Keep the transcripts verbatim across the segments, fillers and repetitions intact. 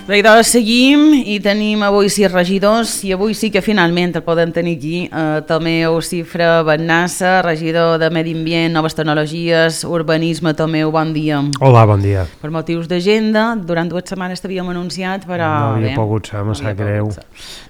Bé, doncs seguim i tenim avui sis regidors i avui sí que finalment el podem tenir aquí. Eh, Tomeu Cifra Bennassa, regidor de Medi Ambient, Noves Tecnologies, Urbanisme. Tomeu, bon dia. Hola, bon dia. Per motius d'agenda, durant dues setmanes t'havíem anunciat, però... No havia bé, pogut ser, me no sap greu.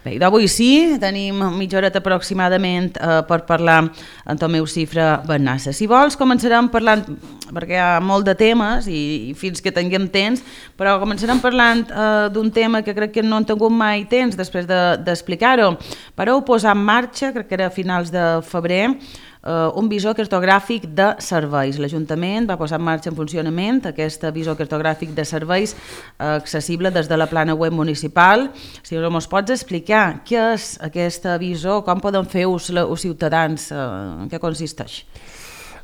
Bé, d'avui sí, tenim mitja horeta aproximadament eh, per parlar amb Tomeu Cifra Bennassa. Si vols, començarem parlant, perquè hi ha molt de temes i, i fins que tinguem temps, però començarem parlant eh, d'un tema que crec que no han tingut mai temps després d'explicar-ho. De, Vareu posar en marxa, crec que era a finals de febrer, eh, un visor cartogràfic de serveis. L'Ajuntament va posar en marxa en funcionament aquest visor cartogràfic de serveis eh, accessible des de la plana web municipal. Si ens pots explicar què és aquest visor, com poden fer ús els ciutadans, eh, en què consisteix?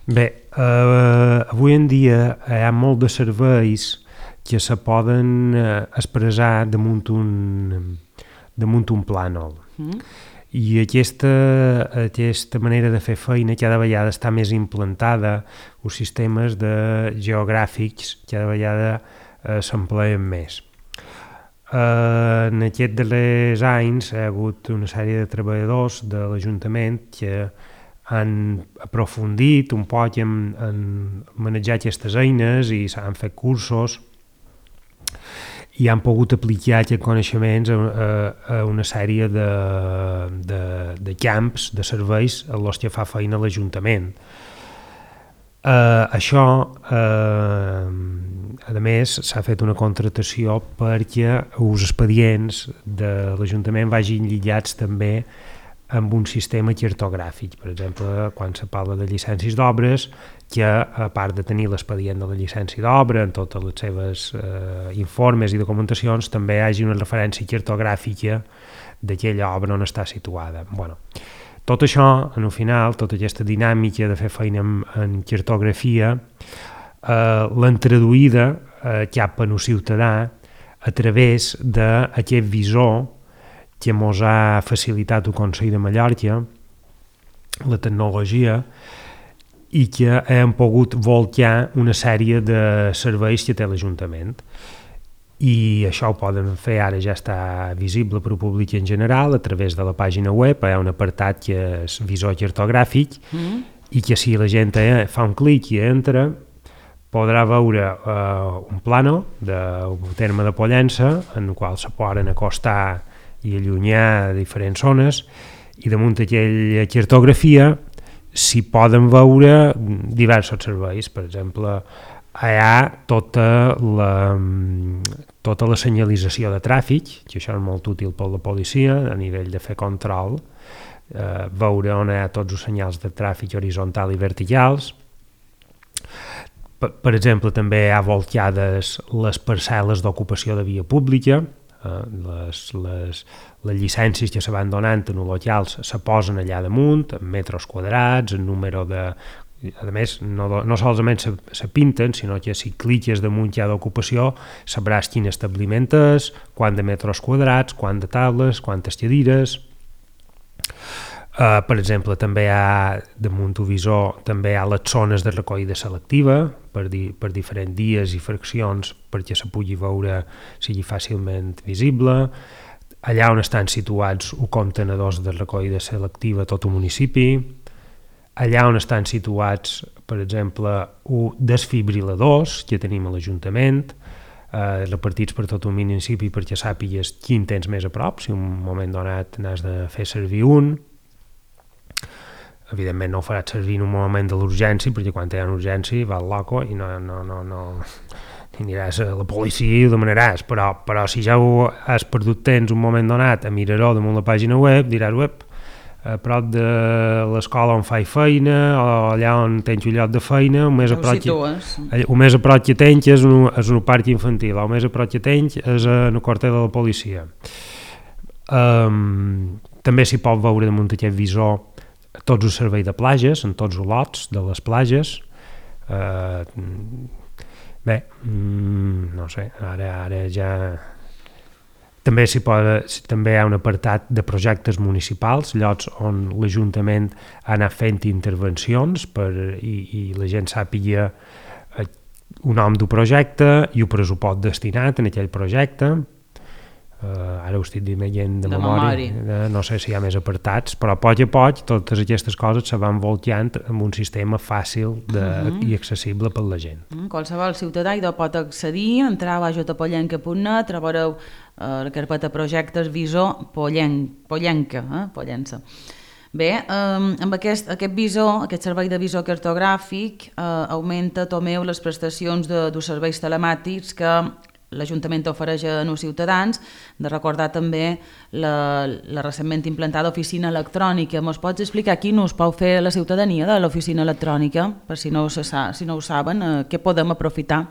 Bé, eh, avui en dia hi ha molt de serveis que se poden eh, expressar damunt un, damunt un plànol. Mm. I aquesta, aquesta manera de fer feina cada vegada està més implantada, els sistemes de geogràfics cada vegada eh, s'empleen més. Eh, en aquests darrers anys hi ha hagut una sèrie de treballadors de l'Ajuntament que han aprofundit un poc en, en manejar aquestes eines i s'han fet cursos i han pogut aplicar aquests coneixements a, a, a una sèrie de, de, de camps, de serveis en els que fa feina l'Ajuntament. Uh, això, uh, a més, s'ha fet una contratació perquè els expedients de l'Ajuntament vagin lligats també amb un sistema cartogràfic. Per exemple, quan se parla de llicències d'obres, que a part de tenir l'expedient de la llicència d'obra en totes les seves eh, informes i documentacions, també hi hagi una referència cartogràfica d'aquella obra on està situada. Bueno, tot això, en el final, tota aquesta dinàmica de fer feina en, en cartografia, eh, l'han traduïda eh, cap al ciutadà a través d'aquest visor que ens ha facilitat el Consell de Mallorca, la tecnologia, i que hem pogut volcar una sèrie de serveis que té l'Ajuntament. I això ho poden fer, ara ja està visible per al públic en general, a través de la pàgina web, hi ha un apartat que és visor cartogràfic, mm. i que si la gent fa un clic i entra, podrà veure uh, un plànol del terme de Pollença, en el qual se poden acostar i allunyar diferents zones, i damunt d'aquella cartografia s'hi poden veure diversos serveis. Per exemple, hi ha tota la, tota la senyalització de tràfic, que això és molt útil per la policia a nivell de fer control, eh, veure on hi ha tots els senyals de tràfic horitzontal i verticals. Per, per exemple, també hi ha volcades les parcel·les d'ocupació de via pública, Uh, les, les, les llicències que se van donant en els locals se posen allà damunt, en metres quadrats, en número de... A més, no, no solament se, se pinten, sinó que si cliques damunt ja d'ocupació sabràs quin establiment és, quant de metres quadrats, quant de taules, quantes cadires. Uh, per exemple, també hi ha, damunt el visor, també hi ha les zones de recollida selectiva per, di, per diferents dies i fraccions perquè se pugui veure, sigui fàcilment visible. Allà on estan situats els contenedors de recollida selectiva a tot el municipi. Allà on estan situats, per exemple, els desfibriladors que tenim a l'Ajuntament, eh, repartits per tot el municipi perquè sàpigues quin tens més a prop, si un moment donat n'has de fer servir un. Evidentment no ho faràs servir en un moment de l'urgència, perquè quan hi ha una urgència vas loco i no, no, no, no aniràs a la policia i ho demanaràs, però, però si ja ho has perdut temps un moment donat a mirar-ho damunt la pàgina web, diràs web, a prop de l'escola on faig feina o allà on tens un lloc de feina, el més a prop que, el més a prop que tens és un, és un parc infantil, el més a prop que tens és en el quartel de la policia. Um, també s'hi pot veure damunt aquest visor tots els serveis de platges, en tots els lots de les platges. Uh, bé, mm, no sé, ara, ara ja... També, s'hi pot, també hi ha un apartat de projectes municipals, llocs on l'Ajuntament ha anat fent intervencions per, i, i la gent sàpiga un nom del projecte i el pressupost destinat en aquell projecte. Uh, ara ho estic dient de, de memòria, uh, no sé si hi ha més apartats, però a poc a poc totes aquestes coses se van volteant amb un sistema fàcil de, uh -huh. i accessible per la gent. Uh -huh. Qualsevol ciutadà hi pot accedir, entrar a j pollenca punt net, trobareu uh, la carpeta projectes visor pollenc, pollenca, eh? Pollença. Bé, eh, amb aquest, aquest visor, aquest servei de visor cartogràfic eh, augmenta, Tomeu, les prestacions de, dels serveis telemàtics que l'Ajuntament ofereix a nous ciutadans, de recordar també la, la recentment implantada oficina electrònica. Mos pots explicar quin ús pot fer la ciutadania de l'oficina electrònica? Per si no, se sa, si no ho saben, eh, què podem aprofitar?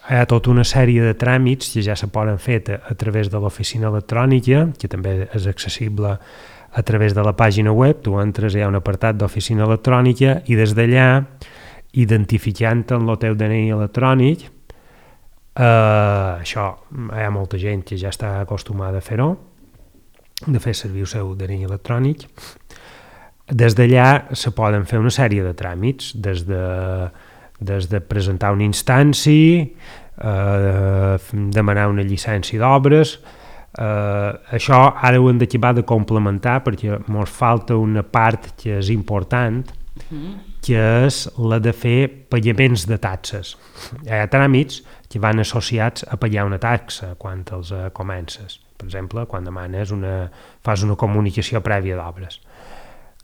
Hi ha tota una sèrie de tràmits que ja se poden fer a, a través de l'oficina electrònica, que també és accessible a través de la pàgina web. Tu entres, hi ha un apartat d'oficina electrònica i des d'allà, identificant en el teu D N I electrònic, Uh, això, hi ha molta gent que ja està acostumada a fer-ho, de fer servir el seu D N I electrònic. Des d'allà se poden fer una sèrie de tràmits, des de, des de presentar una instància, uh, demanar una llicència d'obres. Uh, això ara ho hem d'acabar de complementar perquè ens falta una part que és important, que és la de fer pagaments de taxes. Hi ha tràmits que van associats a pagar una taxa quan els uh, comences. Per exemple, quan demanes una, fas una comunicació prèvia d'obres.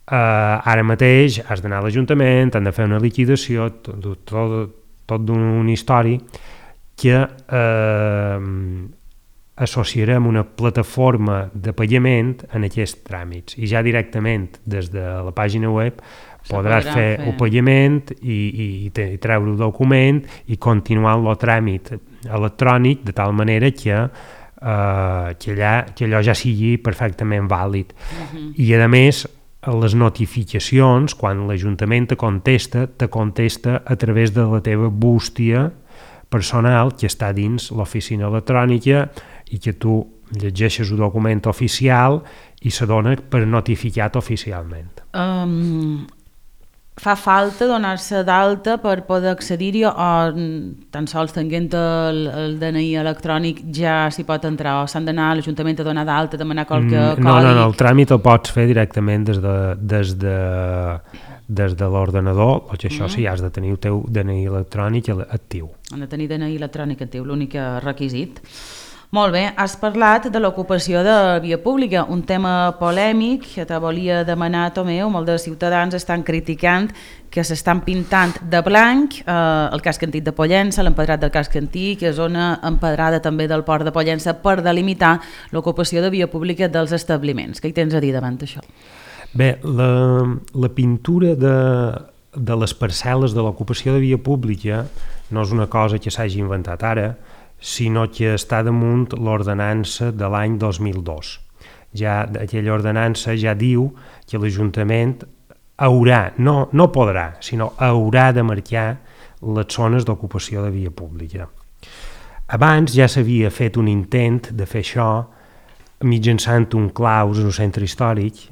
Uh, ara mateix has d'anar a l'Ajuntament, han de fer una liquidació, tot, tot, tot d'un històric que uh, associarem una plataforma de pagament en aquests tràmits i ja directament des de la pàgina web podràs fer, fer el pagament i, i, i treure el document i continuar el tràmit electrònic de tal manera que, uh, que, allà, que allò ja sigui perfectament vàlid. Uh-huh. I a més, les notificacions, quan l'Ajuntament te contesta, te contesta a través de la teva bústia personal que està dins l'oficina electrònica i que tu llegeixes el document oficial i se dona per notificat oficialment. Um, fa falta donar-se d'alta per poder accedir-hi o tan sols tenint el, el D N I electrònic ja s'hi pot entrar o s'han d'anar a l'Ajuntament a donar d'alta, demanar qualque mm, codi? No, no, no, el tràmit el pots fer directament des de, des de, des de l'ordenador, o que això mm. sí, has de tenir el teu D N I electrònic actiu. Han de tenir D N I electrònic actiu, l'únic requisit. Molt bé, has parlat de l'ocupació de via pública, un tema polèmic que te volia demanar, Tomeu. Molts de ciutadans estan criticant que s'estan pintant de blanc eh, el casc antic de Pollença, l'empedrat del casc antic, que és zona empedrada també del port de Pollença per delimitar l'ocupació de via pública dels establiments. Què hi tens a dir davant d'això? Bé, la, la pintura de, de les parcel·les de l'ocupació de via pública no és una cosa que s'hagi inventat ara, sinó que està damunt l'ordenança de l'any dos mil dos. Ja, aquella ordenança ja diu que l'Ajuntament haurà, no, no podrà, sinó haurà de marcar les zones d'ocupació de via pública. Abans ja s'havia fet un intent de fer això mitjançant un claus en un centre històric,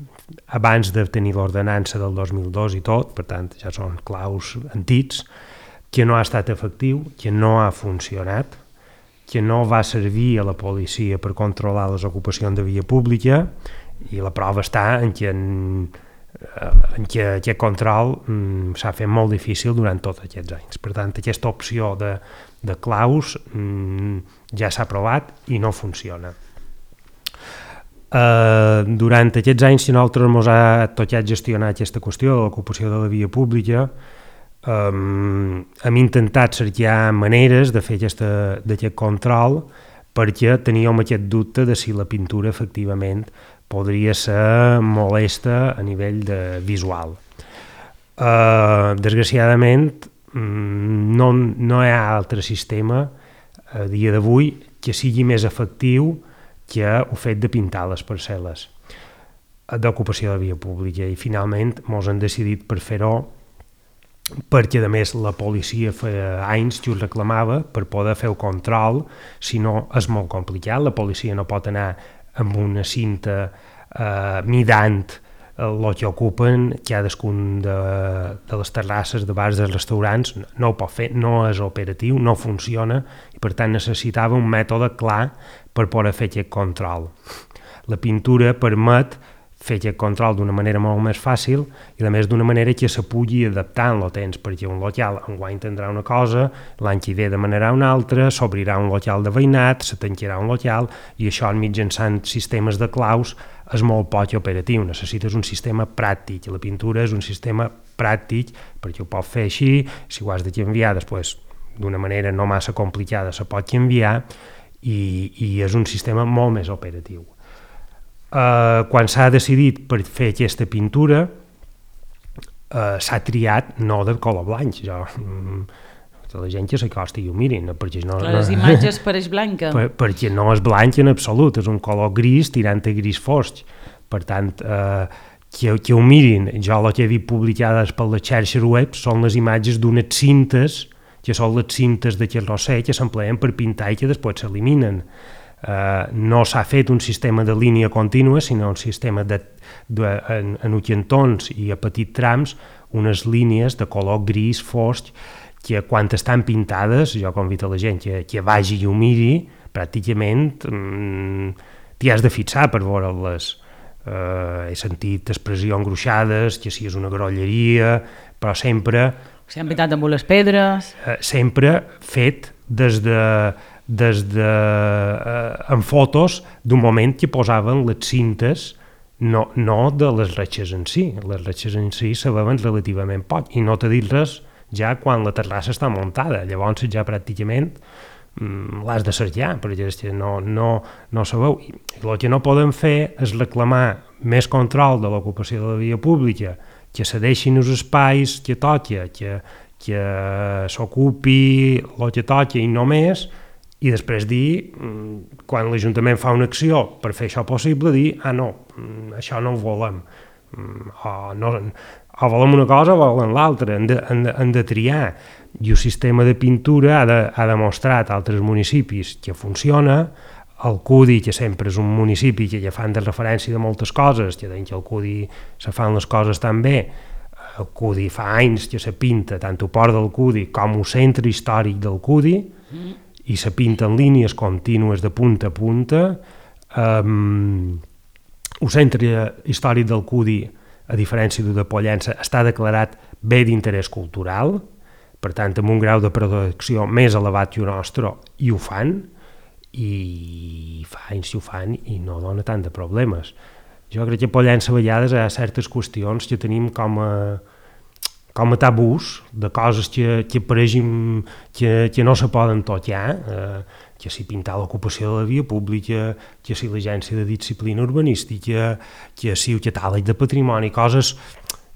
abans de tenir l'ordenança del dos mil dos i tot, per tant ja són claus antics, que no ha estat efectiu, que no ha funcionat, que no va servir a la policia per controlar les ocupacions de via pública i la prova està en que, en, en que aquest control mm, s'ha fet molt difícil durant tots aquests anys. Per tant, aquesta opció de, de claus mm, ja s'ha provat i no funciona. Uh, durant aquests anys, si nosaltres ens ha tocat gestionar aquesta qüestió de l'ocupació de la via pública, Um, hem intentat cercar maneres de fer aquesta, d'aquest control perquè teníem aquest dubte de si la pintura efectivament podria ser molesta a nivell de visual. Uh, desgraciadament no, no hi ha altre sistema a dia d'avui que sigui més efectiu que el fet de pintar les parcel·les d'ocupació de via pública i finalment ens han decidit per fer-ho perquè a més la policia feia anys que ho reclamava per poder fer el control, si no és molt complicat, la policia no pot anar amb una cinta eh, midant el que ocupen cadascun de, de les terrasses de bars, dels restaurants, no ho pot fer, no és operatiu, no funciona, i per tant necessitava un mètode clar per poder fer aquest control. La pintura permet fer aquest control d'una manera molt més fàcil i a més d'una manera que se pugui adaptar en el temps, perquè un local enguany tindrà una cosa, l'any que ve demanarà una altra, s'obrirà un local de veïnat, se tancarà un local, i això mitjançant sistemes de claus és molt poc operatiu. Necessites un sistema pràctic, i la pintura és un sistema pràctic perquè ho pot fer així, si ho has de canviar després d'una manera no massa complicada se pot canviar, i, i és un sistema molt més operatiu. Uh, quan s'ha decidit per fer aquesta pintura uh, s'ha triat no de color blanc, jo, mm, la gent que s'acosti i ho mirin, perquè no, Clar, les imatges pareix blanca per, perquè no és blanc en absolut, és un color gris tirant a gris fosc, per tant uh, que, que ho mirin. Jo el que he vist publicades per les xarxes web són les imatges d'unes cintes que són les cintes de carrosser que s'empleen per pintar i que després s'eliminen. Uh, no s'ha fet un sistema de línia contínua, sinó un sistema de, de, en, en cantons i a petits trams, unes línies de color gris fosc que quan estan pintades, jo convido a la gent que, que vagi i ho miri, pràcticament mm, t'hi has de fixar per veure-les. Uh, he sentit expressions gruixades, que si és una grolleria, però sempre... S'han pintat amb les pedres... Uh, sempre fet des de... des de, eh, en fotos d'un moment que posaven les cintes, no, no de les retxes en si. Les retxes en si se veuen relativament poc, i no t'he dit res ja quan la terrassa està muntada. Llavors ja pràcticament mm, l'has de cercar, perquè no, no, no se veu. I el que no podem fer és reclamar més control de l'ocupació de la via pública, que se deixin els espais que toca, que, que s'ocupi el que toca i no més, i després dir, quan l'Ajuntament fa una acció per fer això possible, dir, ah no, això no ho volem, o, no, o volem una cosa o volem l'altra, hem de, hem de, hem de triar. I el sistema de pintura ha, de, ha demostrat a altres municipis que funciona. El Cudi, que sempre és un municipi que ja fan de referència de moltes coses, que deien que el Cudi se fan les coses tan bé, el Cudi fa anys que se pinta tant el port del Cudi com el centre històric del Cudi, mm. i se pinten línies contínues de punta a punta. Um, el centre històric del Cudi, a diferència del de Pollença, està declarat bé d'interès cultural, per tant, amb un grau de protecció més elevat que el nostre, i ho fan, i fa anys que ho fan i no dona tant de problemes. Jo crec que a Pollença a vegades hi ha certes qüestions que tenim com a com a tabús, de coses que, que apareixen, que, que no se poden tocar, eh, que si pintar l'ocupació de la via pública, que si l'agència de disciplina urbanística, que si el catàleg de patrimoni, coses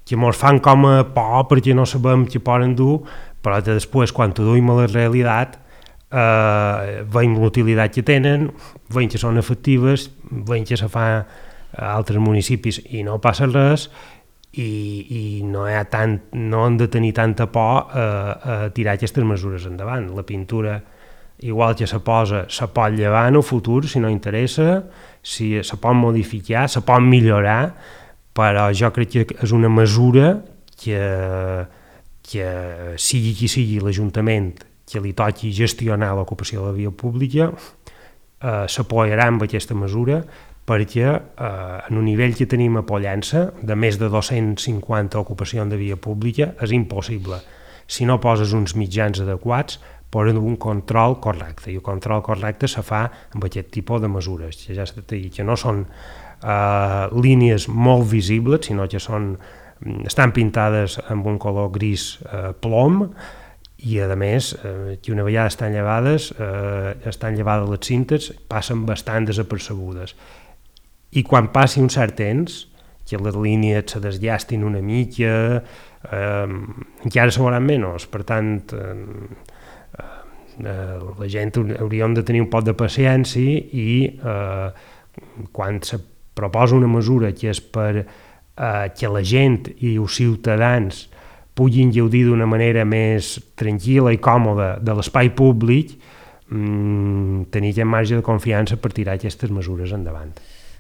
que ens fan com a por perquè no sabem què poden dur, però que després, quan ho duim a la realitat, eh, veiem l'utilitat que tenen, veiem que són efectives, veiem que se fa a altres municipis i no passa res, i, i no, hi ha tant, no hem de tenir tanta por a, a tirar aquestes mesures endavant. La pintura, igual que se posa, se pot llevar en el futur si no interessa, si se pot modificar, se pot millorar, però jo crec que és una mesura que, que sigui qui sigui l'Ajuntament que li toqui gestionar l'ocupació de la via pública, eh, s'apoyarà amb aquesta mesura, perquè eh, en un nivell que tenim a Pollença, de més de dos-cents cinquanta ocupacions de via pública, és impossible. Si no poses uns mitjans adequats, posen un control correcte, i el control correcte se fa amb aquest tipus de mesures, que ja s'ha dit, que no són eh, línies molt visibles, sinó que són, estan pintades amb un color gris eh, plom, i a més, eh, que una vegada estan llevades, eh, estan llevades les cintes, passen bastant desapercebudes. I quan passi un cert temps, que les línies se desllestin una mica, eh, encara se veuran menys. Per tant, eh, eh, la gent hauríem de tenir un poc de paciència i eh, quan se proposa una mesura que és per eh, que la gent i els ciutadans puguin gaudir d'una manera més tranquil·la i còmoda de l'espai públic, mmm, tenir aquest marge de confiança per tirar aquestes mesures endavant.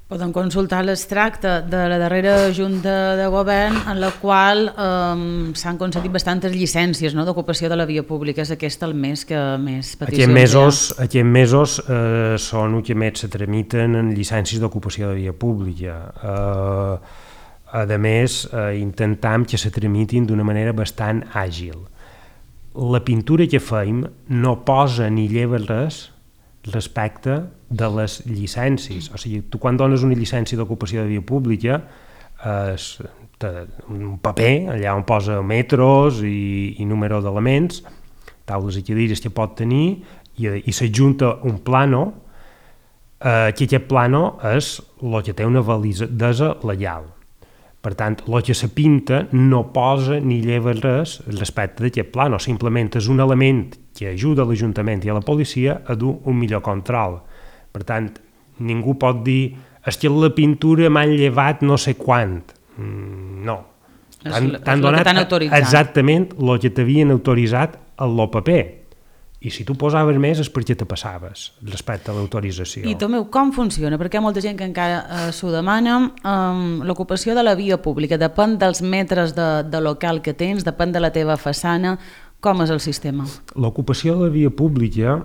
Poden consultar l'extracte de la darrera Junta de Govern en la qual eh, s'han concedit bastantes llicències, no?, d'ocupació de la via pública. És aquest el mes que més peticions Aquests mesos, hi ha. aquests mesos eh, són els que més se tramiten en llicències d'ocupació de via pública. Eh, a més, eh, intentam que se tramitin d'una manera bastant àgil. La pintura que feim no posa ni lleva res respecte de les llicències. O sigui, tu quan dones una llicència d'ocupació de via pública és un paper allà on posa metros i, i número d'elements, taules i cadires que pot tenir, i, i s'adjunta un plano eh, que aquest plano és el que té una validesa legal. Per tant, el que se pinta no posa ni lleva res respecte d'aquest plano, simplement és un element que ajuda a l'Ajuntament i a la policia a dur un millor control. Per tant, ningú pot dir és que la pintura m'han llevat no sé quant. Mm, no. És el que t'han autoritzat. Exactament el que t'havien autoritzat en el paper. I si tu posaves més és perquè te passaves respecte a l'autorització. I Tomeu, com funciona? Perquè hi ha molta gent que encara eh, s'ho demana. Um, l'ocupació de la via pública depèn dels metres de, de local que tens, depèn de la teva façana. Com és el sistema? L'ocupació de la via pública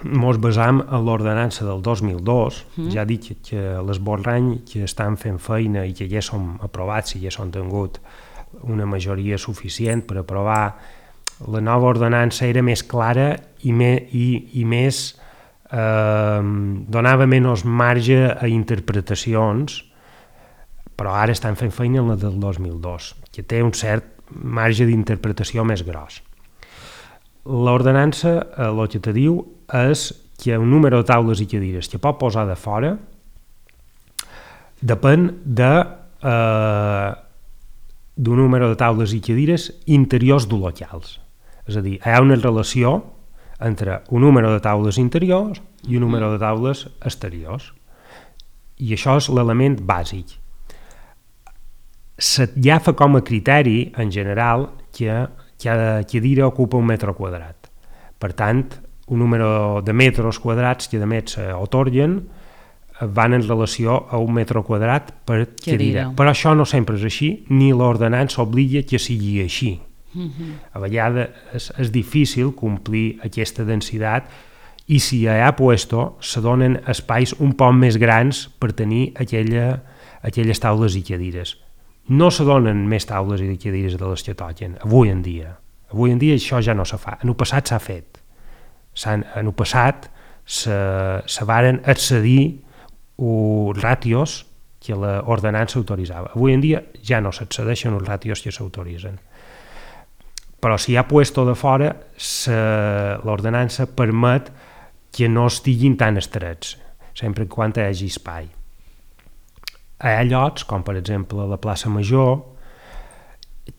ens basam en l'ordenança del dos mil dos. Mm. Ja dic que l'esborrany que estan fent feina i que ja som aprovats i ja són tingut una majoria suficient per aprovar. La nova ordenança era més clara i, me, i, i més eh, donava menys marge a interpretacions, però ara estan fent feina en la del dos mil dos, que té un cert marge d'interpretació més gros. L'ordenança eh, el que te diu és que un número de taules i cadires que pot posar de fora depèn de eh, d'un número de taules i cadires interiors de locals. És a dir, hi ha una relació entre un número de taules interiors i un número de taules exteriors. I això és l'element bàsic. S'agafa com a criteri, en general, que cada cadira ocupa un metre quadrat. Per tant, un número de metres quadrats que a més s'atorguen van en relació a un metre quadrat per cadira. cadira. Però això no sempre és així, ni l'ordenança obliga que sigui així. Uh-huh. A vegades és, és difícil complir aquesta densitat i si hi ha puesto se donen espais un poc més grans per tenir aquella, aquelles taules i cadires. No se donen més taules i cadires de les que toquen, avui en dia. Avui en dia això ja no se fa. En el passat s'ha fet. En el passat se, se varen accedir els ràtios que l'ordenança autoritzava. Avui en dia ja no s'accedeixen els ràtios que s'autoritzen. Però si hi ha puesto de fora, l'ordenança permet que no estiguin tan estrets, sempre quan hi hagi espai. Hi ha llocs, com per exemple la plaça Major,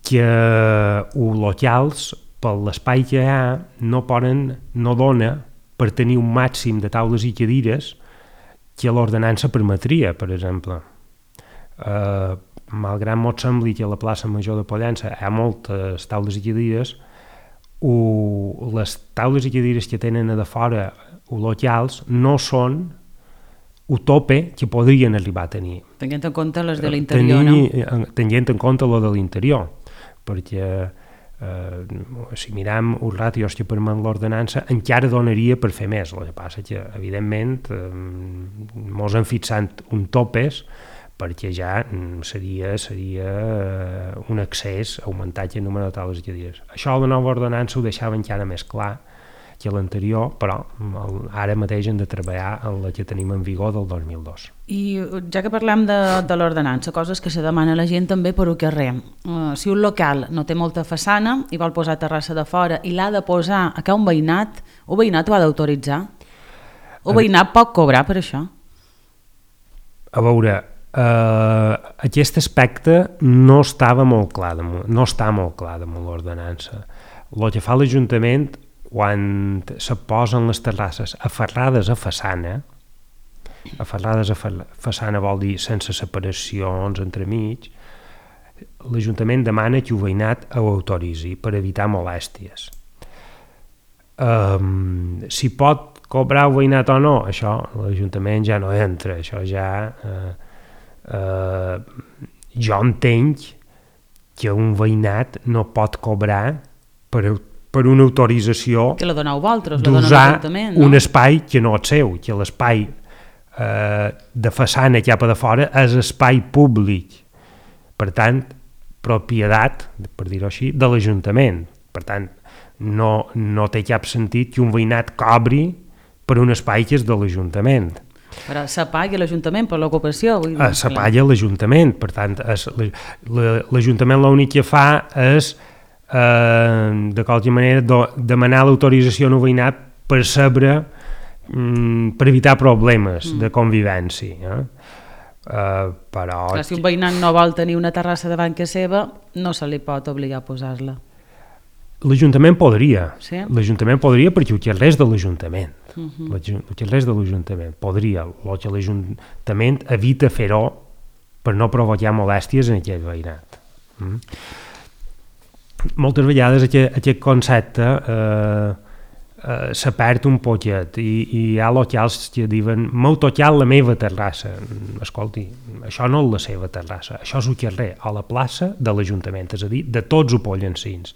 que els locals, per l'espai que hi ha, no poden, no dona per tenir un màxim de taules i cadires que l'ordenança permetria, per exemple. Eh, malgrat mos sembli que a la plaça Major de Pollença hi ha moltes taules i cadires, o les taules i cadires que tenen a de fora o locals no són el tope que podrien arribar a tenir. Tenint en compte les de l'interior, no? Tenint en compte les de l'interior, perquè eh, si miram els ràtios que permet l'ordenança encara donaria per fer més. El que passa que, evidentment, eh, mos han fixat un topes perquè ja seria, seria un excés augmentar el número de taules i cadires. Això la nova ordenança ho deixava encara més clar que l'anterior, però ara mateix hem de treballar en la que tenim en vigor del dos mil dos. I ja que parlem de, de l'ordenança, coses que se demana la gent també per un carrer. Uh, si un local no té molta façana i vol posar terrassa de fora i l'ha de posar a un veïnat, un veïnat ho ha d'autoritzar? Un veïnat pot cobrar per això? A veure, Uh, aquest aspecte no estava molt clar damunt, no està molt clar damunt l'ordenança. El que fa l'Ajuntament quan se posen les terrasses aferrades a façana, aferrades a façana vol dir sense separacions entremig, l'Ajuntament demana que el veïnat ho autoritzi per evitar molèsties. Um, si pot cobrar el veïnat o no, això l'Ajuntament ja no entra, això ja... Eh, eh, jo entenc que un veïnat no pot cobrar per, per una autorització que la doneu vosaltres, d'usar no? un espai que no és seu, que l'espai eh, de façana cap a de fora és espai públic, per tant, propietat, per dir-ho així, de l'Ajuntament. Per tant, no, no té cap sentit que un veïnat cobri per un espai que és de l'Ajuntament. Però se paga l'Ajuntament per l'ocupació? Se paga l'Ajuntament, per tant, l'Ajuntament l'únic que fa és, eh, de qualsevol manera, do, demanar l'autorització a un veïnat per saber, mm, per evitar problemes mm. de convivència. Eh? Uh, però... Clar, si un veïnat no vol tenir una terrassa davant que seva, no se li pot obligar a posar-la. L'Ajuntament podria, sí? l'Ajuntament podria perquè ho és de l'Ajuntament. Uh -huh. Ho és de l'Ajuntament, podria. El que l'Ajuntament evita fer-ho per no provocar molèsties en aquell veïnat. Mm? Moltes vegades aquest, aquest concepte eh, eh, se perd un poquet i, i hi ha locals que diuen m'heu tocat la meva terrassa. Escolti, això no és la seva terrassa, això és el carrer, a la plaça de l'Ajuntament, és a dir, de tots els pollencins.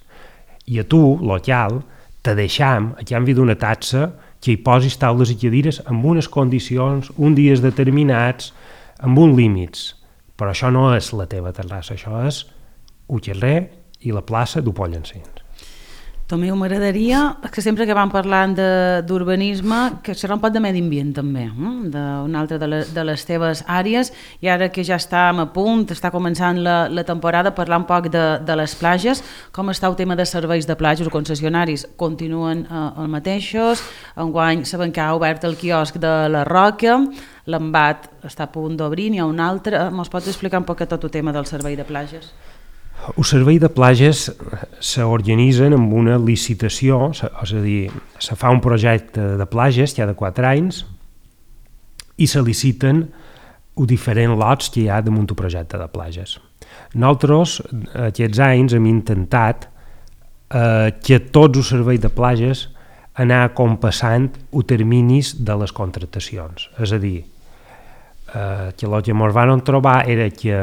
I a tu, local, te deixam, a canvi d'una taxa, que hi posis taules i cadires amb unes condicions, uns dies determinats, amb uns límits. Però això no és la teva terrassa, això és el carrer i la plaça d'u Pollencins. Tomeu, m'agradaria que sempre que vam parlant d'urbanisme, que serà un poc de medi ambient també, eh? d'una altra de, de les teves àrees, i ara que ja estem a punt, està començant la, la temporada, parlar un poc de, de les platges. Com està el tema de serveis de platges o concessionaris? Continuen eh, els mateixos? Enguany sabem que ha obert el quiosc de la Roca, l'Embat està a punt d'obrir, n'hi ha un altre. Ens pots explicar un poc tot el tema del servei de platges? El servei de platges s'organitzen amb una licitació, és a dir, se fa un projecte de platges cada quatre anys i se liciten els diferents lots que hi ha damunt el projecte de platges. Nosaltres, aquests anys, hem intentat eh, que tots els serveis de platges anar compassant els terminis de les contractacions. És a dir, eh, que el que ens van trobar era que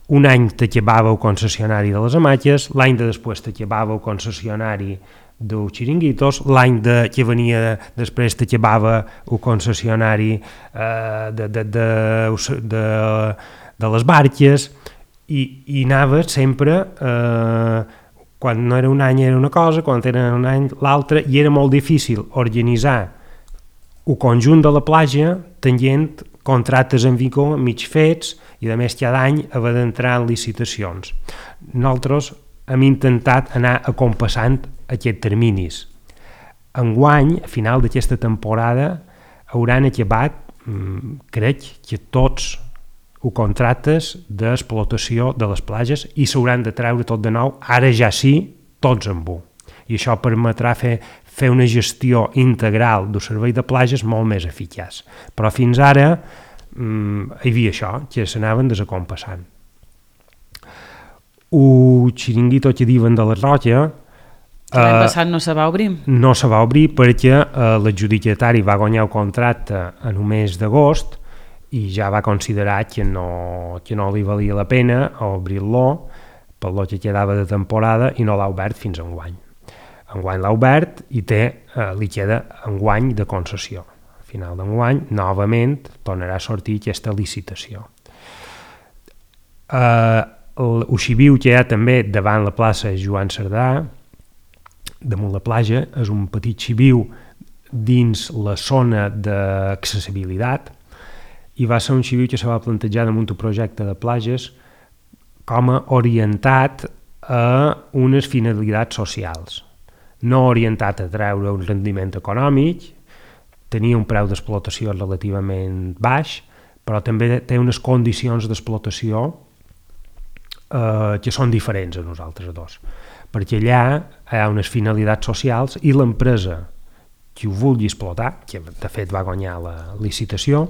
un any t'acabava el concessionari de les hamaques, l'any de després t'acabava el concessionari dels xiringuitos, l'any de, que venia després t'acabava el concessionari eh, de, de, de, de, de les barques, i, i anava sempre, eh, quan no era un any era una cosa, quan era un any l'altra, i era molt difícil organitzar el conjunt de la platja tenint contractes en vigor mig fets, i a més cada any haver d'entrar en licitacions. Nosaltres hem intentat anar acompassant aquests terminis. Enguany, a final d'aquesta temporada, hauran acabat, crec, que tots els contractes d'explotació de les platges i s'hauran de treure tot de nou, ara ja sí, tots en un. I això permetrà fer, fer una gestió integral del servei de platges molt més eficaç. Però fins ara hi havia això, que s'anaven desacompassant. El xiringuito que diuen de la Roca l'any passat no se va obrir? No se va obrir perquè eh, l'adjudicatari va guanyar el contracte en el mes d'agost i ja va considerar que no, que no li valia la pena obrir-lo per lo que quedava de temporada i no l'ha obert fins a enguany. Enguany l'ha obert i té, eh, li queda enguany de concessió. Final d'enguany, novament, tornarà a sortir aquesta licitació. Eh, el xiviu que hi ha també davant la plaça Joan Cerdà, damunt la platja, és un petit xiviu dins la zona d'accessibilitat i va ser un xiviu que se va plantejar damunt un projecte de platges com a orientat a unes finalitats socials, no orientat a treure un rendiment econòmic, tenia un preu d'explotació relativament baix, però també té unes condicions d'explotació eh, que són diferents a nosaltres dos, perquè allà hi ha unes finalitats socials i l'empresa que ho vulgui explotar, que de fet va guanyar la licitació,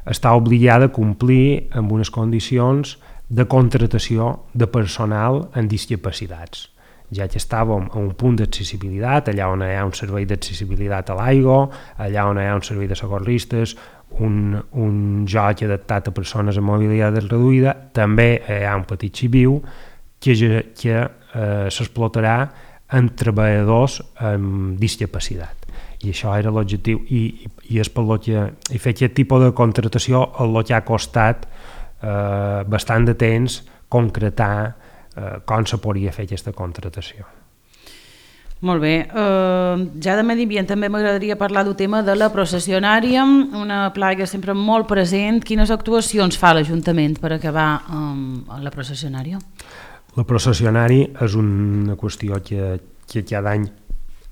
està obligada a complir amb unes condicions de contratació de personal amb discapacitats. ja que estàvem a un punt d'accessibilitat, allà on hi ha un servei d'accessibilitat a l'aigua, allà on hi ha un servei de socorristes, un, un joc adaptat a persones amb mobilitat reduïda, també hi ha un petit xiviu que, que eh, s'explotarà en treballadors amb discapacitat. I això era l'objectiu, i, i és per lo que i fer aquest tipus de contractació el que ha costat eh, bastant de temps concretar eh, com se podria fer aquesta contractació. Molt bé, uh, ja de medi ambient també m'agradaria parlar del tema de la processionària, una plaga sempre molt present. Quines actuacions fa l'Ajuntament per acabar um, la processionària? La processionària és una qüestió que, que cada any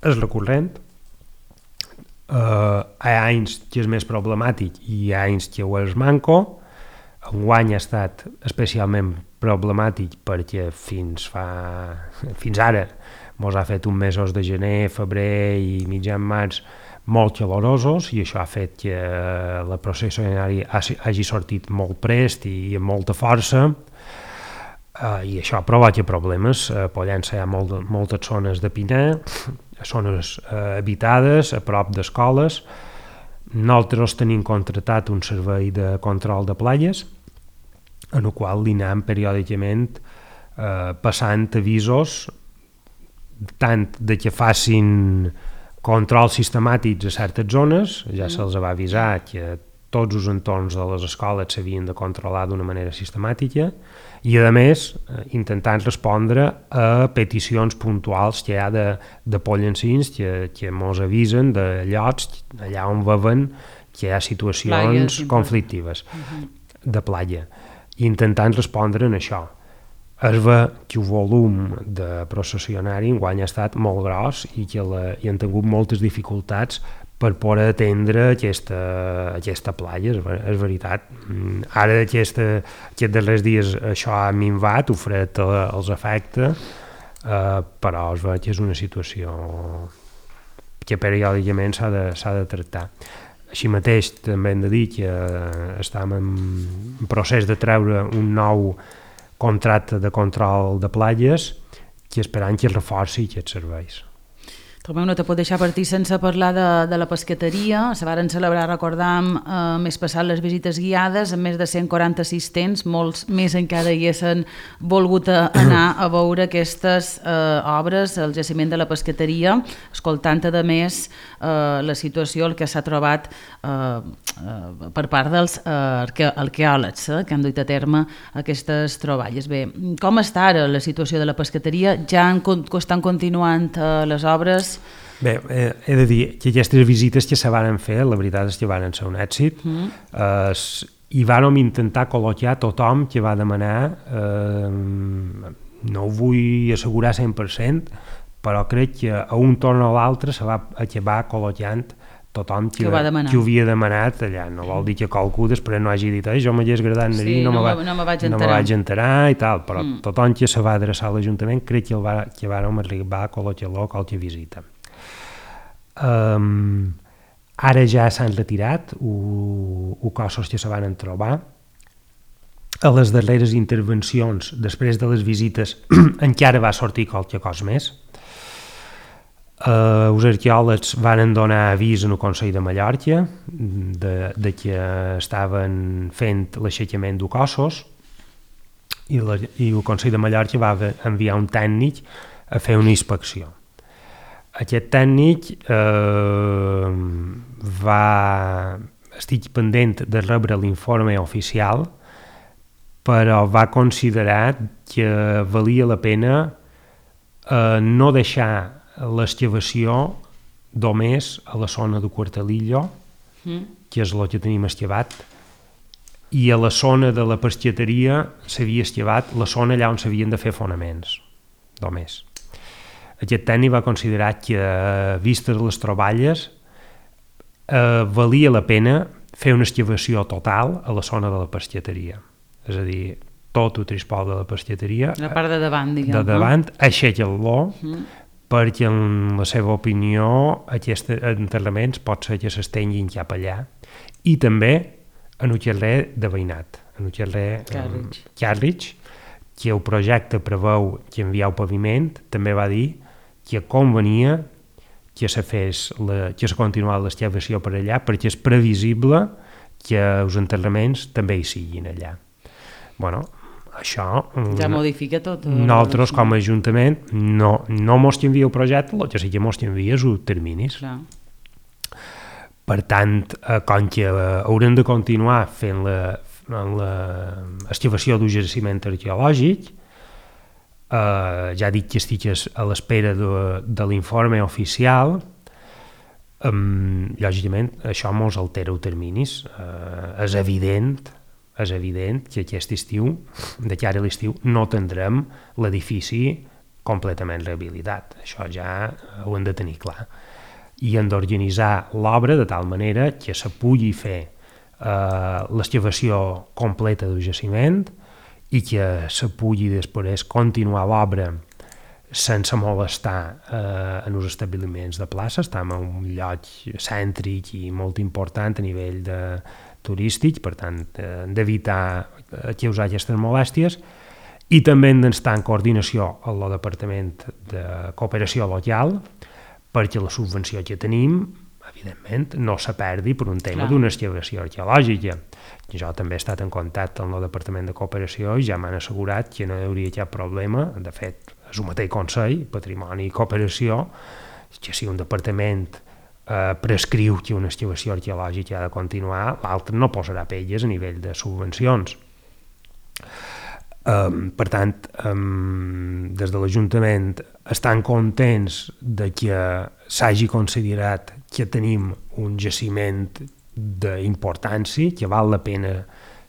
és recurrent. Uh, hi ha anys que és més problemàtic i hi ha anys que ho és manco. Enguany ha estat especialment problemàtic perquè fins, fa, fins ara mos ha fet uns mesos de gener, febrer i mitjan març molt calorosos, i això ha fet que la processionària hagi sortit molt prest i amb molta força, uh, i això provoca problemes. A Pollença hi ha molt, moltes zones de pinar, zones uh, habitades, a prop d'escoles. Nosaltres tenim contractat un servei de control de platges, en el qual li anem periòdicament uh, passant avisos tant de que facin controls sistemàtics a certes zones, ja se'ls va avisar que tots els entorns de les escoles s'havien de controlar d'una manera sistemàtica, i a més intentant respondre a peticions puntuals que hi ha de, de pollencins que, que mos avisen de llocs allà on veuen que hi ha situacions Plagues, conflictives uh-huh. de platja, i intentant respondre en això. Es ve que el volum de processionari enguany ha estat molt gros i que la, hi han tingut moltes dificultats per poder atendre aquesta, aquesta platja, és, és veritat. Ara aquesta, aquests darrers dies això ha minvat, el fred els afecta, eh, però es ve que és una situació que periòdicament s'ha de, s'ha de tractar. Així mateix també hem de dir que estem en procés de treure un nou contracte de control de platges que esperant que reforci aquests serveis. Tomeu, no te pot deixar partir sense parlar de, de la pescateria. Se varen celebrar, recordam, eh, més passat les visites guiades amb més de cent quaranta assistents, molts més encara hi haguessin volgut anar a veure aquestes eh, obres, el jaciment de la pescateria, escoltant a més eh, la situació, el que s'ha trobat eh, eh, per part dels eh, arque arqueòlegs eh, que han duit a terme aquestes troballes. Bé, com està ara la situació de la pescateria? Ja han, estan continuant eh, les obres? Bé, eh, he de dir que aquestes visites que se van fer, la veritat és que van ser un èxit, mm. eh, i vàrem intentar col·locar tothom que va demanar, eh, no ho vull assegurar cent per cent, però crec que a un torn o l'altre se va acabar col·locant tothom que, que, que ho havia demanat allà. No vol dir que qualcú després no hagi dit jo m'hagués agradat anar sí, no, no, me va, no, me vaig no me vaig enterar i tal, però mm. tothom que se va adreçar a l'Ajuntament crec que, el va, que vàrem arribar a col·locar-lo a qualque visita. Um, ara ja s'han retirat els cossos que se van trobar. A les darreres intervencions, després de les visites, encara va sortir qualque cosa més. Uh, els arqueòlegs van donar avís en el Consell de Mallorca de, de que estaven fent l'aixecament de cossos, i, la, i el Consell de Mallorca va enviar un tècnic a fer una inspecció. Aquest tècnic eh, va estic pendent de rebre l'informe oficial, però va considerar que valia la pena eh, no deixar l'excavació només a la zona de Quartalillo, mm. que és el que tenim excavat, i a la zona de la pescateria s'havia excavat la zona allà on s'havien de fer fonaments, només. Aquest tècnic va considerar que, vistes les troballes, eh, valia la pena fer una excavació total a la zona de la pescateria. És a dir, tot el trispol de la pescateria, la part de davant, diguem, de davant, no? Aixeca-lo, mm. perquè en la seva opinió aquests enterraments pot ser que s'estenguin cap allà, i també en el carrer de Veïnat, en el carrer Carrig, que el projecte preveu que enviar el paviment, també va dir que convenia que se fes la, que se continuï l'excavació per allà perquè és previsible que els enterraments també hi siguin allà. Bueno, això... Ja modifica tot. Nosaltres, com a Ajuntament, no, no mos que envia el projecte, el que sí que mos que envia és els terminis. Clar. Per tant, eh, com que eh, haurem de continuar fent l'excavació d'un jaciment arqueològic, eh, ja dic que estic a l'espera de, de l'informe oficial, eh, lògicament això mos altera els terminis. Eh, és evident és evident que aquest estiu, de cara a l'estiu, no tindrem l'edifici completament rehabilitat. Això ja ho hem de tenir clar. I hem d'organitzar l'obra de tal manera que se pugui fer eh, l'excavació completa del jaciment i que se pugui després continuar l'obra sense molestar eh, en els establiments de plaça. Estem en un lloc cèntric i molt important a nivell de turístic, per tant, hem d'evitar causar aquestes molèsties i també hem d'estar en coordinació amb el Departament de Cooperació Local perquè la subvenció que tenim, evidentment, no se perdi per un tema d'una excavació arqueològica. Jo també he estat en contacte amb el Departament de Cooperació i ja m'han assegurat que no hi hauria cap problema. De fet, és el mateix Consell, Patrimoni i Cooperació, que si un departament eh, prescriu que una excavació arqueològica ha de continuar, l'altre no posarà pelles a nivell de subvencions. Um, per tant, um, des de l'Ajuntament estan contents de que s'hagi considerat que tenim un jaciment d'importància, que val la pena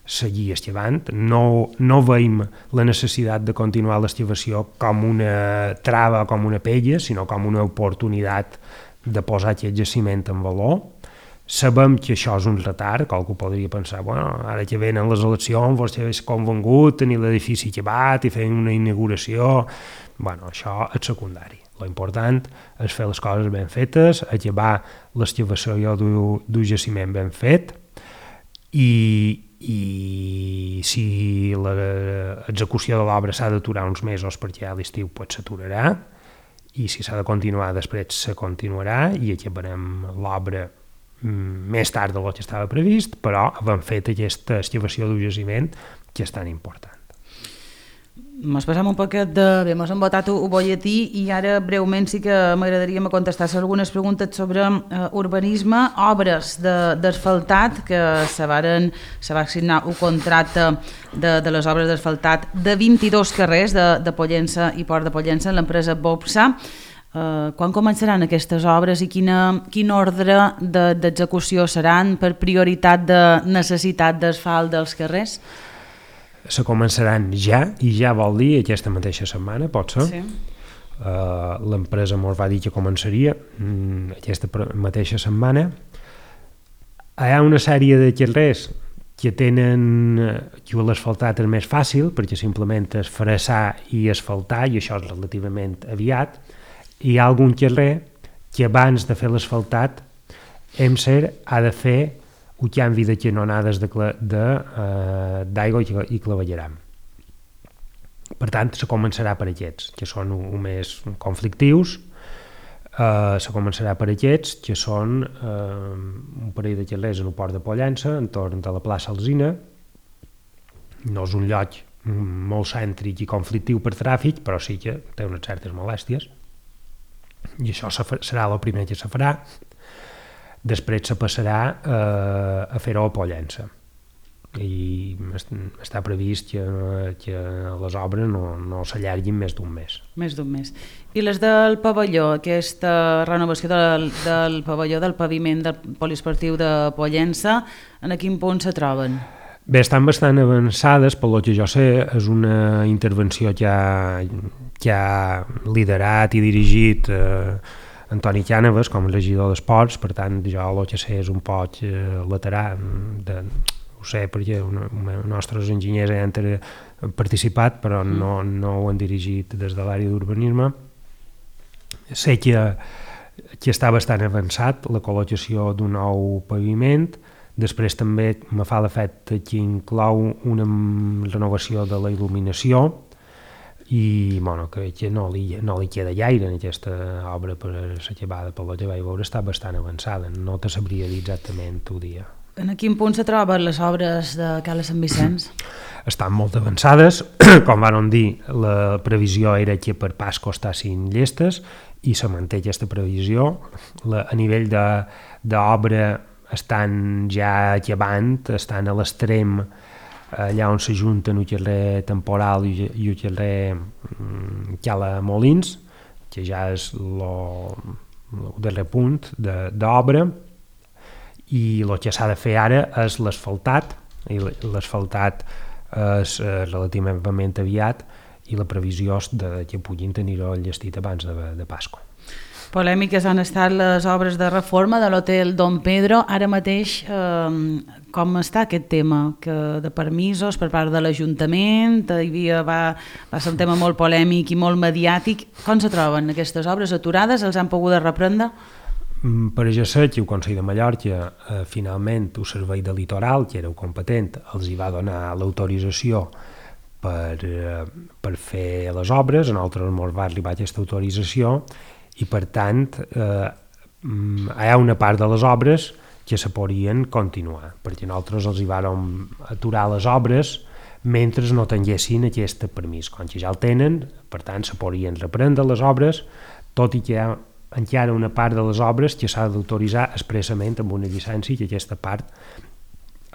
seguir excavant. No, no veiem la necessitat de continuar l'excavació com una trava o com una pella, sinó com una oportunitat de posar aquest jaciment en valor. Sabem que això és un retard, qualcú podria pensar, bueno, ara que venen les eleccions, vostè és convengut tenir l'edifici acabat i fer una inauguració. Bueno, això és secundari. L'important és fer les coses ben fetes, acabar l'excavació d'un jaciment ben fet i, i si l'execució de l'obra s'ha d'aturar uns mesos perquè a l'estiu pues, s'aturarà i si s'ha de continuar després se continuarà i acabarem l'obra més tard del que estava previst, però hem fet aquesta excavació d'un jaciment que és tan important. Mos passam un poquet de... Bé, mos hem votat un bolletí i ara breument sí que m'agradaria contestar algunes preguntes sobre uh, urbanisme, obres d'asfaltat, que se, varen, se va signar un contracte de, de les obres d'asfaltat de vint-i-dos carrers de, de Pollença i Port de Pollença en l'empresa Bopsa. Uh, quan començaran aquestes obres i quina, quin ordre d'execució de, seran per prioritat de necessitat d'asfalt dels carrers? Se començaran ja, i ja vol dir aquesta mateixa setmana, pot ser. Sí. Uh, l'empresa mos va dir que començaria um, aquesta mateixa setmana. Hi ha una sèrie de carrers que tenen que l'asfaltat és més fàcil perquè simplement és fressar i asfaltar i això és relativament aviat. Hi ha algun carrer que abans de fer l'asfaltat EMSER ha de fer un canvi de canonades d'aigua i clavegueram. Per tant, se començarà per aquests, que són un més conflictius, uh, se començarà per aquests, que són uh, un parell de carrers en el Port de Pollença, entorn de la plaça Alzina. No és un lloc molt cèntric i conflictiu per tràfic, però sí que té unes certes molèsties. I això serà el primer que se farà. Després se passarà eh, a fer-ho a Pollença i està previst que, que les obres no, no s'allarguin més d'un mes. Més d'un mes. I les del pavelló, aquesta renovació del, del pavelló del paviment del poliesportiu de Pollença, en quin punt se troben? Bé, estan bastant avançades, pel que jo sé, és una intervenció que ha, que ha liderat i dirigit eh, Antoni Cànovas com a regidor d'Esports, per tant jo el que sé és un poc eh, lateral, de, ho sé perquè els nostres enginyers hi han participat però no, no ho han dirigit des de l'àrea d'urbanisme. Sé que, que està bastant avançat la col·locació d'un nou paviment. Després també me fa l'efecte que inclou una renovació de la il·luminació, i bueno, que, que no, li, no li queda gaire en aquesta obra per s'acabada, per lo que vaig veure està bastant avançada, no te sabria dir exactament el dia. En quin punt se troben les obres de Cala Sant Vicenç? Estan molt avançades, com van dir, la previsió era que per Pasco estessin llestes i se manté aquesta previsió. La, a nivell d'obra estan ja acabant, estan a l'extrem allà on s'ajunten el carrer Temporal i el carrer Cala Molins, que ja és el darrer punt d'obra, i el que s'ha de fer ara és l'asfaltat, i l'asfaltat és relativament aviat i la previsió és de que puguin tenir-ho llestit abans de, de Pasqua. Polèmiques han estat les obres de reforma de l'hotel Don Pedro. Ara mateix, eh, com està aquest tema que de permisos per part de l'Ajuntament? Hi havia, va, va ser un tema molt polèmic i molt mediàtic. Com se troben aquestes obres aturades? Els han pogut reprendre? Per això sé que el Consell de Mallorca, eh, finalment, el Servei de Litoral, que era el competent, els hi va donar l'autorització per, eh, per fer les obres. A nosaltres ens va arribar aquesta autorització i, per tant, eh, hi ha una part de les obres que se podrien continuar, perquè nosaltres els hi vàrem aturar les obres mentre no tinguessin aquest permís. Com que ja el tenen, per tant, se podrien reprendre les obres, tot i que hi ha encara una part de les obres que s'ha d'autoritzar expressament amb una llicència, que aquesta part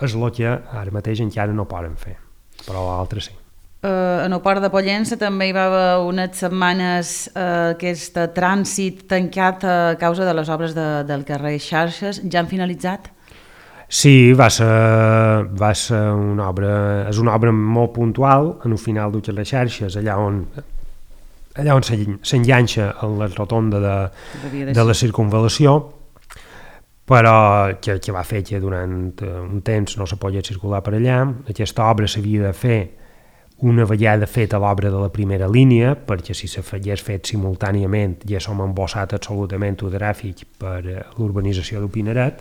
és el que ara mateix encara no poden fer, però l'altre sí. Uh, en el port de Pollença també hi va haver unes setmanes uh, aquest trànsit tancat a causa de les obres de, del carrer Xarxes. Ja han finalitzat? Sí, va ser, va ser una obra, és una obra molt puntual en el final del carrer Xarxes, allà on allà on s'enganxa en la rotonda de, de la circunvalació, però que, que va fer que durant un temps no se podia circular per allà. Aquesta obra s'havia de fer una vegada feta l'obra de la primera línia, perquè si s'hagués fet simultàniament ja som embossat absolutament el tràfic per l'urbanització del Pineret.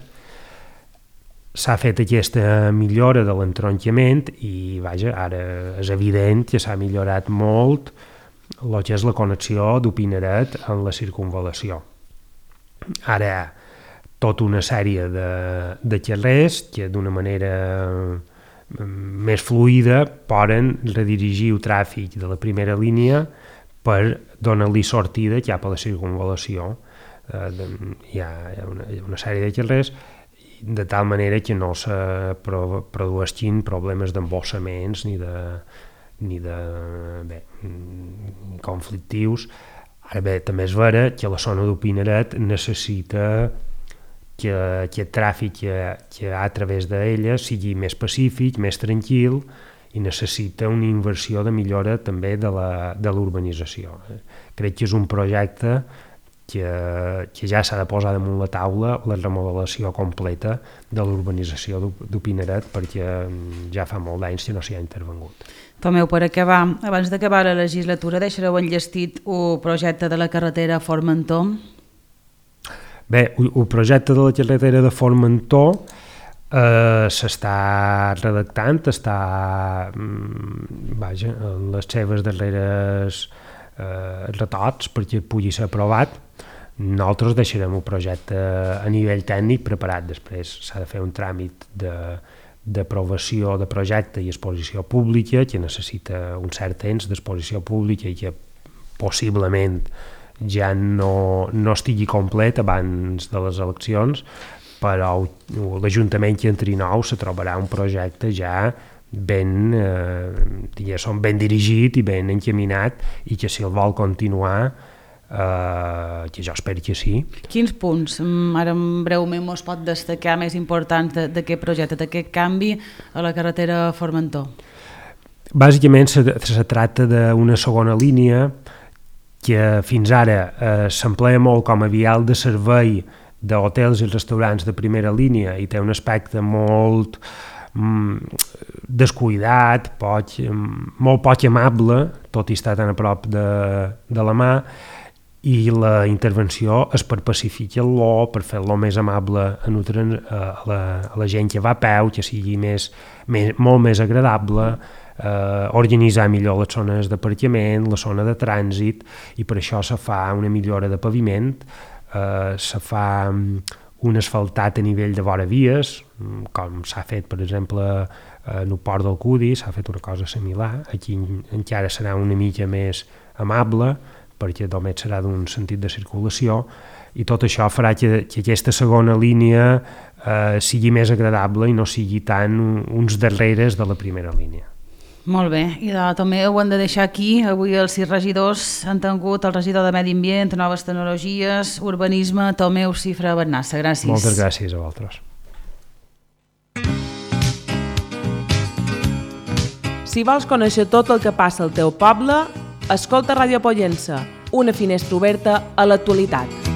S'ha fet aquesta millora de l'entronquiment i vaja, ara és evident que s'ha millorat molt el que és la connexió del Pineret en la circunvalació. Ara, tota una sèrie de, de carrers que d'una manera més fluida poden redirigir el tràfic de la primera línia per donar-li sortida cap a la circunvalació. Eh, hi, ha, hi ha una, una sèrie de carrers de tal manera que no se produeixin problemes d'embossaments ni de ni de bé, conflictius. Ara bé, també és vera que la zona del Pineret necessita que aquest tràfic que, que hi ha a través d'ella sigui més pacífic, més tranquil, i necessita una inversió de millora també de l'urbanització. Crec que és un projecte que, que ja s'ha de posar damunt la taula la remodelació completa de l'urbanització del Pineret, perquè ja fa molt d'anys que no s'hi ha intervengut. Tomeu, per acabar, abans d'acabar la legislatura, deixareu enllestit el projecte de la carretera Formentó? Bé, el projecte de la carretera de Formentó eh, s'està redactant, està vaja, en les seves darreres eh, retocs perquè pugui ser aprovat. Nosaltres deixarem el projecte a nivell tècnic preparat. Després s'ha de fer un tràmit de d'aprovació de projecte i exposició pública, que necessita un cert temps d'exposició pública i que possiblement ja no, no estigui complet abans de les eleccions, però l'Ajuntament que entri nou se trobarà un projecte ja ben, eh, ben dirigit i ben encaminat, i que si el vol continuar Uh, que jo espero que sí. Quins punts, ara breument, es pot destacar més importants d'aquest projecte, d'aquest canvi a la carretera Formentó? Bàsicament se, se tracta d'una segona línia que fins ara eh, s'emplea molt com a vial de servei d'hotels i restaurants de primera línia i té un aspecte molt mm, descuidat, poc, molt poc amable, tot i estar tan a prop de, de la mà, i la intervenció és per pacificar-lo, per fer-lo més amable a, a, la, a la gent que va a peu, que sigui més, més, molt més agradable, eh, organitzar millor les zones d'aparcament, la zona de trànsit, i per això se fa una millora de paviment, eh, se fa un asfaltat a nivell de vora vies, com s'ha fet, per exemple, en el port del Cudi, s'ha fet una cosa similar. Aquí encara serà una mica més amable, perquè només serà d'un sentit de circulació, i tot això farà que, que aquesta segona línia eh, sigui més agradable i no sigui tant uns darreres de la primera línia. Molt bé, i de, també ho hem de deixar aquí. Avui els sis regidors han tingut el regidor de Medi Ambient, Noves Tecnologies, Urbanisme, Tomeu Cifra Bennassa. Gràcies. Moltes gràcies a vosaltres. Si vols conèixer tot el que passa al teu poble, escolta Ràdio Pollença, una finestra oberta a l'actualitat.